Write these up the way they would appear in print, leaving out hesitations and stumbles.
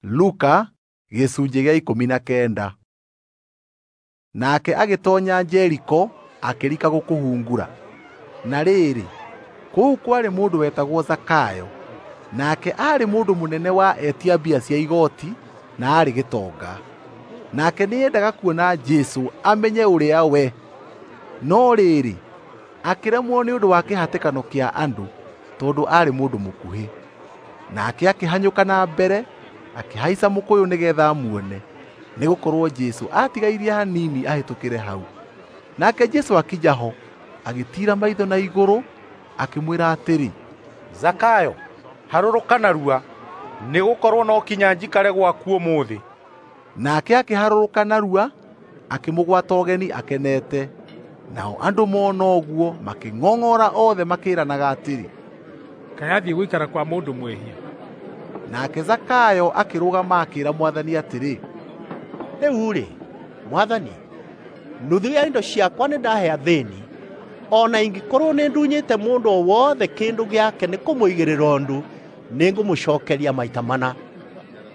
Luka gĩcunjĩ gĩa 19. Nake agĩtonya Jeriko akĩrika gũkũhungura. Na rĩrĩ, kũu kwarĩ mũndũ wetagwo Zakayo, nake aarĩ mũndũ mũnene wa etia mbia cia igoti na aarĩ gĩtonga. Nake nĩendaga kuona Jesũ amenye ũrĩa we, no rĩrĩ, akĩremwo nĩ ũndũ wa kĩhatĩkano kĩa andũ tondũ aarĩ mũndũ mũkuhĩ. Nake akĩhanyũka na mbere akĩhaica mũkũyũ nĩgetha amuone, nĩgũkorwo Jesũ aatigairie hanini ahĩtũkĩre hau. Nake Jesũ akinya ho, agĩtiira maitho na igũrũ, akĩmwĩra atĩrĩ, Zakayo, harũrũka narua, nĩgũkorwo no kinya njikare gwaku ũmũthĩ. Nake akĩharũrũka narua, akĩmũgwata ũgeni akenete. Nao andũ mona ũguo makĩng'ong'ora othe makĩĩranaga atĩrĩ, Kaĩ athiĩ gũikara kwa mũndũ mwĩhia. Nake Zakayo akĩrũgama akĩĩra Mwathani atĩrĩ, Rĩu-rĩ, Mwathani, nuthu ya indo ciakwa nĩndahe athĩĩni, o na ingĩkorwo nĩndunyĩte mũndũ o wothe kĩndũ gĩake nĩ kũmũigĩrĩra ũndũ, nĩngũmũcookeria maita mana.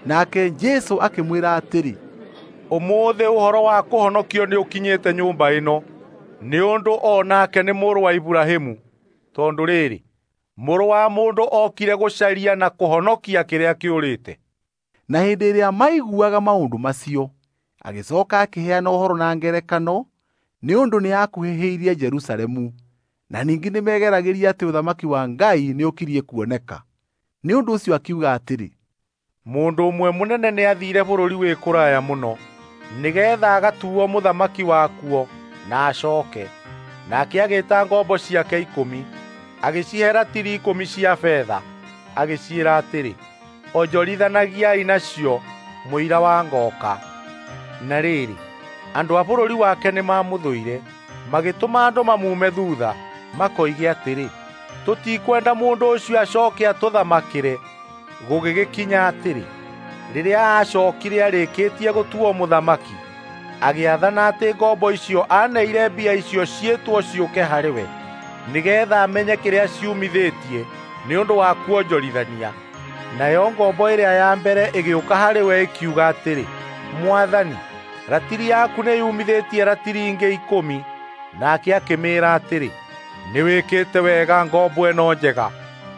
Nake Jesũ akĩmwĩra atĩrĩ, Ũmũthĩ ũhoro wa kũhonokio nĩũkinyĩte nyũmba ĩno, nĩ ũndũ o nake nĩ mũrũ wa Iburahĩmu, tondũ rĩrĩ, mũrũ wa mũndũ okire gũcaria na kũhonokia kĩrĩa kĩũrĩte. Na hĩndĩ ĩrĩa maiguaga maũndũ macio, agĩcooka akĩheana ũhoro na ngerekano, nĩ ũndũ nĩakuhĩhĩirie Jerusalemu, na ningĩ nĩmegeragĩria atĩ ũthamaki wa Ngai nĩũkirie kuoneka. Nĩ ũndũ ũcio akiuga atĩrĩ, Mũndũ ũmwe mũnene nĩathiire bũrũri wĩ kũraya mũno, nĩgeetha agatuo mũthamaki wakuo na acooke. Nake agĩĩta ngombo ciake 10, agĩcihe ratiri 10 cia betha, agĩciĩra atĩrĩ, onjorithanagiai nacio mũira wa ngooka. Na rĩrĩ, andũ a bũrũri wake nĩmamũthũire, magĩtũma andũ mamume thuutha, makoige atĩrĩ, tũtikwenda mũndũ ũcio acooke atũthamakĩre. Gũgĩgĩkinya atĩrĩ, rĩrĩa aacookire arĩkĩtie gũtuo mũthamaki, agĩathana atĩ ngombo icio aaneire mbia icio ciĩtwo ciũke harĩ we, nĩgeetha amenye kĩrĩa ciumithĩtie nĩ ũndũ wa kuonjorithania. Nayo ngombo ĩrĩa ya mbere ĩgĩũka harĩ we ĩkiuga atĩrĩ, Mwathani, ratiri yaku nĩyumithĩtie ratiri ingĩ 10. Nake akĩmĩĩra atĩrĩ, nĩwĩkĩte wega ngombo ĩno njega,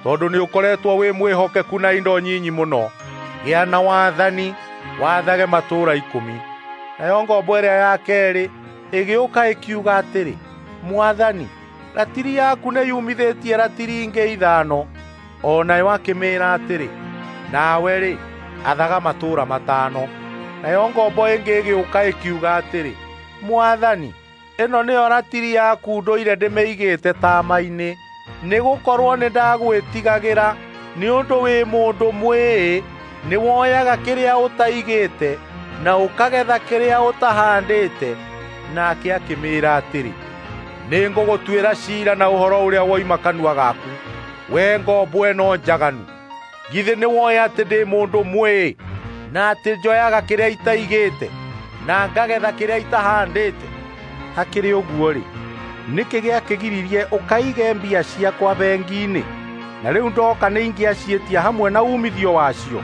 tondũ nĩũkoretwo wĩ mwĩhokeku na indo nyinyi mũno. Gĩa na wathani, wathage matũũra 10. Nayo ngombo ĩrĩa ya keerĩ ĩgĩũka ĩkiuga atĩrĩ, Mwathani, ratiri yaku nĩyumithĩtie ratiri ingĩ 5. O nayo akĩmĩĩra atĩrĩ, nawe-rĩ, athaga matũũra 5. Nayo ngombo ĩngĩ ĩgĩũka ĩkiuga atĩrĩ, Mwathani, ĩno nĩyo ratiri yaku ndũire ndĩmĩigĩte taama-inĩ, nĩgũkorwo nĩndagwĩtigagĩra, nĩ ũndũ wĩ mũndũ mwĩĩ, nĩwoyaga kĩrĩa ũtaigĩte na ũkagetha kĩrĩa ũtahandĩte. Nake akĩmĩĩra atĩrĩ, nĩngũgũtuĩra ciira na ũhoro ũrĩa woima kanua gaku, we ngombo ĩno njaganu. Githĩ nĩwoĩ atĩ ndĩ mũndũ mwĩĩ, na atĩ njoyaga kĩrĩa itaigĩte na ngagetha kĩrĩa itahandĩte? Hakĩrĩ ũguo-rĩ, nĩkĩ gĩakĩgiririe ũkaige mbia ciakwa bengi-inĩ? Na rĩu ndoka nĩingĩaciĩtia hamwe na uumithio wacio.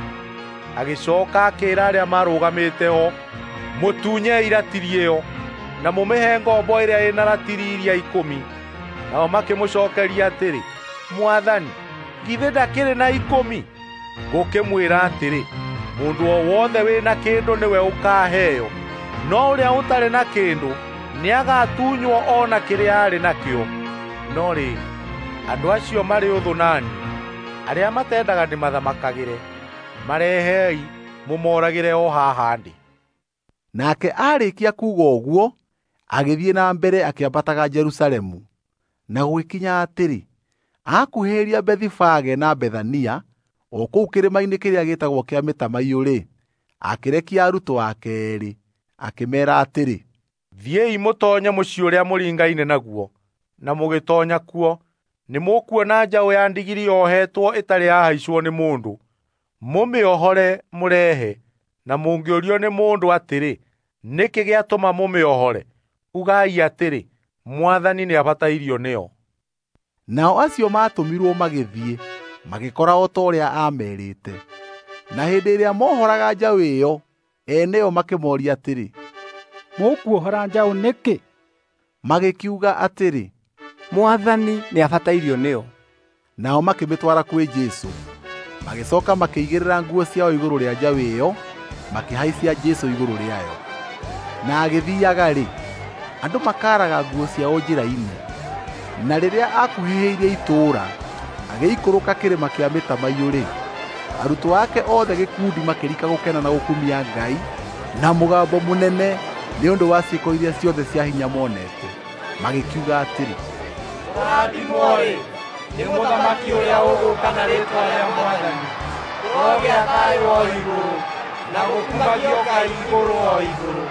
Agĩcooka akĩĩra arĩa marũgamĩte ho, mũtunyei ratiri ĩyo na mũmĩhe ngombo ĩrĩa ĩna ratiri iria 10. Nao makĩmũcookeria atĩrĩ, Mwathani, githĩ ndakĩrĩ na 10? Ngũkĩmwĩra atĩrĩ, mũndũ o wothe wĩna kĩndũ nĩwe ũkaaheo, no ũrĩa ũtarĩ na kĩndũ nĩagatunywo o na kĩrĩa arĩ nakĩo. No rĩrĩ, andũ acio marĩ ũthũ nani, arĩa matendaga ndĩmathamakagĩre, marehei mũmoragĩre o haha ndĩ. Nake aarĩkia kuuga ũguo, agĩthiĩ na mbere akĩambataga Jerusalemu. Na gũgĩkinya atĩrĩ, aakuhĩrĩria Bethifage na Bethania, o kũu kĩrĩma-inĩ kĩrĩa gĩtagwo kĩa Mĩtamaiyũ-rĩ, akĩrekia arutwo ake eerĩ, akĩmeera atĩrĩ, Thiĩi mũtoonye mũciĩ ũrĩa mũringaine naguo, na mũgĩtoonya kuo, nĩmũkuona njaũ ya ndigiri yohetwo ĩtarĩ yahaicwo nĩ mũndũ. Mũmĩohore mũrehe, na mũngĩũrio nĩ mũndũ atĩrĩ, nĩkĩ gĩatũma mũmĩohore? Ugai atĩrĩ, Mwathani nĩabatairio nĩyo. Nao acio maatũmirwo magĩthiĩ, magĩkora o ta ũrĩa aamerĩte. Na hĩndĩ ĩrĩa mohoraga njaũ ĩyo, ene yo makĩmooria atĩrĩ, "Mũkuohora njaũ nĩkĩ?" Magĩkiuga atĩrĩ, "Mwathani nĩabatairio nĩyo." Nao makĩmĩtwara kwĩ Jesũ. Magĩcooka makĩigĩrĩra nguo ciao igũrũ rĩa njaũ ĩyo, makĩhaicia Jesũ igũrũ rĩayo. Na agĩthiiaga-rĩ, andũ makaaraga nguo ciao njĩra-inĩ. Na rĩrĩa aakuhĩhĩirie itũũra, agĩikũrũka kĩrĩma kĩa mĩtamaiyũ-rĩ, arutwo ake othe gĩkundi makĩrika gũkena na gũkumia Ngai na mũgambo mũnene nĩ ũndũ wa ciĩko iria ciothe cia hinya monete. Magĩkiuga atĩrĩ, "Kũrathimwo-rĩ, nĩ mũthamaki ũrĩa ũgũũka na rĩĩtwa rĩa Mwathani! Kũrogĩa thayũ o igũrũ, na gũkumagio Ngai igũrũ o igũrũ!"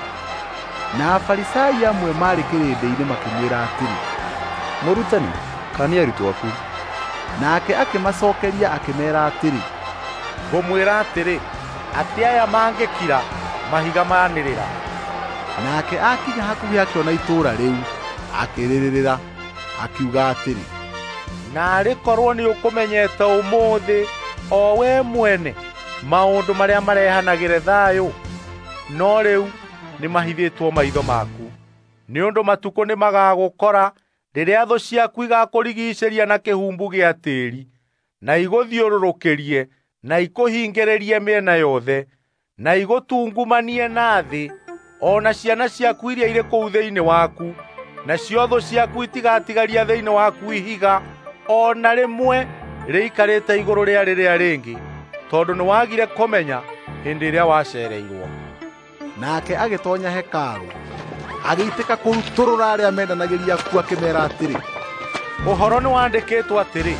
Na Afarisai amwe maarĩ kĩrĩndĩ-inĩ makĩmwĩra atĩrĩ, "Mũrutani, kaania arutwo aku." Nake akĩmacookeria akĩmeera atĩrĩ, "Ngũmwĩra atĩrĩ, atĩ aya mangĩkira, mahiga maanĩrĩra." Nake akinya hakuhĩ akĩona itũũra rĩu, akĩrĩrĩrĩra, akiuga atĩrĩ, "Naarĩ korwo nĩũkũmenyete ũmũthĩ, o we mwene, maũndũ marĩa marehanagĩre thayũ! No rĩu nĩmahithĩtwo maitho maku. Nĩ ũndũ matukũ nĩmagagũkora rĩrĩa thũ ciaku igakũrigiicĩria na kĩhumbu gĩa tĩĩri, na igũthiũrũrũkĩrie, na ikũhingĩrĩrie mĩena yothe, na igũtungumanie na thĩ, o na ciana ciaku iria irĩ kũu thĩinĩ waku, nacio thũ ciaku itigatigaria thĩinĩ waku ihiga o na rĩmwe rĩikarĩte igũrũ rĩa rĩrĩa rĩngĩ, tondũ nĩwagire kũmenya hĩndĩ ĩrĩa waceereirwo." Nake agĩtoonya hekarũ, agĩitĩka kũrutũrũra arĩa mendanagĩria kuo akĩmeera atĩrĩ, "Ũhoro nĩwandĩkĩtwo atĩrĩ,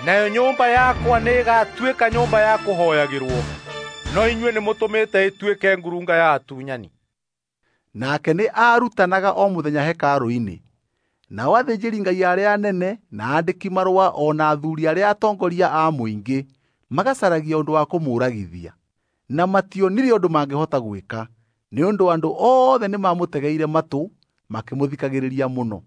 nayo nyũmba yakwa nĩĩgatuĩka nyũmba ya kũhooyagĩrwo, no inyuĩ nĩmũtũmĩte ĩtuĩke ngurunga ya atunyani." Nake nĩ aarutanaga o mũthenya hekarũ-inĩ. Nao athĩnjĩri-Ngai arĩa anene na aandĩki-marũa o na athuuri arĩa atongoria a mũingĩ magacaragia ũndũ wa kũmũũragithia. Na mationire ũndũ mangĩhota gwĩka, nĩ ũndũ andũ othe nĩmamũtegeire matũ makĩmũthikagĩrĩria mũno.